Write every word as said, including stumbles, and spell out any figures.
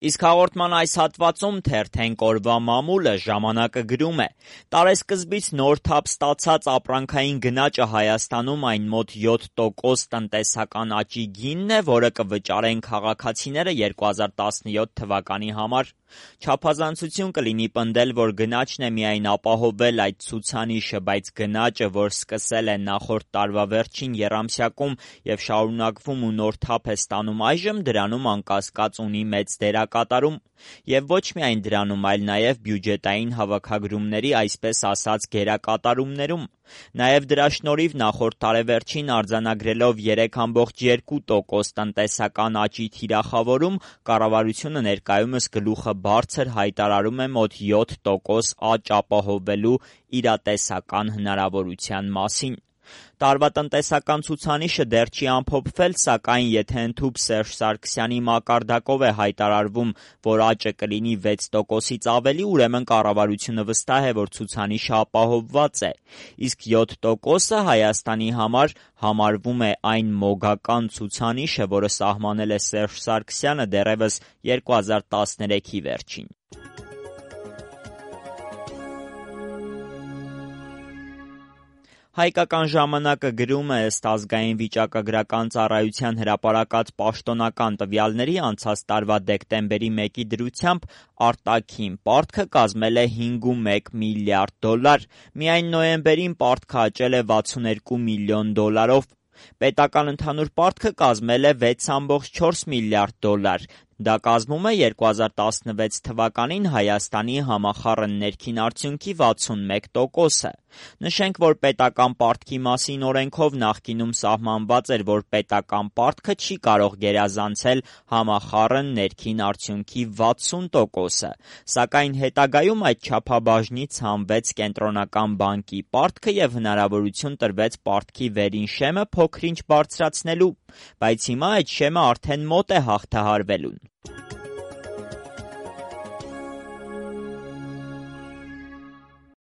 Իսկ հաղորդման այս հատվածում թերթենք օրվա մամուլը ժամանակը գրում է. տարեսկզբից նոր թափ ստացած ապրանքային գնաճը Հայաստանում այն մոտ յոթ տոկոս տնտեսական աճի գինն է, որը կվճարեն քաղաքացիները երկու հազար տասնյոթ թվականի համար։ Չափազանցություն կլինի պնդել, որ գնաճն է միայն ապահովել այդ ցուցանիշը, բայց գնաճը, որ սկսել է նախորդ տարվա վերջին եռամսյակում և շարունակվում ու նոր թափ է ստանում այժմ, դրանում անկասկած ունի մեծ դերակատարում։ Եվ ոչ միայն դրանում, այլ նաև բյուջետային հավաքագրումների, այսպես ասած, գերակատարումներում։ Նաև դրա շնորհիվ նախորդ տարեվերջին արձանագրելով երեք կόμma երկու տոկոս տնտեսական աճի թիրախավորում, կառավարությունը ներկայումս գլուխը բարձր հայտարարում է մոտ յոթ տոկոս աճ ապահովելու իրատեսական հնարավորության մասին։ Տարվա տնտեսական ցուցանիշը դեռ չի ամփոփվել, սակայն եթե ընդհուպ Սերժ Սարգսյանի մակարդակով է հայտարարվում, որ աճը կլինի վեց տոկոսից ավելի, ուրեմն կառավարությունը վստահ է, որ ցուցանիշը ապահովված է։ Իսկ յոթ տոկոսը Հայաստանի համար համարվում է այն մոգական ցուցանիշը, որը սահմանել է Սերժ Սարգսյանը դեռևս երկու հազար տասներեքի վերջին։ Հայկական ժամանակը գրում է, ըստ ազգային վիճակագրական ծառայության հրապարակած պաշտոնական տվյալների անցած տարվա դեկտեմբերի մեկի դրությամբ արտաքին պարտքը կազմել է հինգ կόμma մեկ միլիարդ դոլար, միայն նոյեմբերին պարտքը աճել է վաթսունհինգ միլիոն դոլարով։ Պետական ընդհանուր պարտքը կազմել է վեց կόμma չորս միլիարդ դոլար։ Դա կազմում է երկու հազար տասնվեց թվականին Հայաստանի համախառն ներքին արդյունքի վաթսունմեկ տոկոսը։ Նշենք, որ պետական պարտքի մասին օրենքով նախկինում սահմանված էր, որ պետական պարտքը չի կարող գերազանցել համախառն ներքին արդյունքի վաթսուն տոկոսը, սակայն հետագայում այդ չափաբաժնից հանվեց Կենտրոնական բանկի պարտքը և հնարավորություն տրվեց պարտքի վերին շեմը փոքր-ինչ բարձրացնելու, բայց հիմա այդ շեմը արդեն մոտ է հաղթահարվելուն։